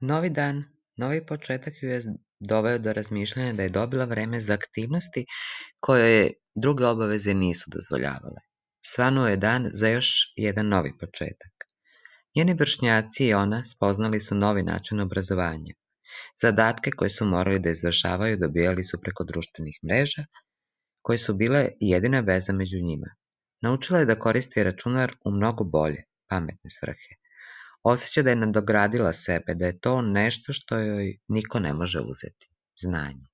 Novi dan, novi početak ju je doveo do razmišljanja da je dobila vreme za aktivnosti koje joj druge obaveze nisu dozvoljavale. Svanuo je dan za još jedan novi početak. Njeni vršnjaci i ona spoznali su novi način obrazovanja. Zadatke koje su morali da izvršavaju dobijali su preko društvenih mreža, koje su bile jedina veza među njima. Naučila je da koristi računar u mnogo bolje, pametne svrhe. Osjeća da je nadogradila sebe, da je to nešto što joj niko ne može uzeti. Znanje.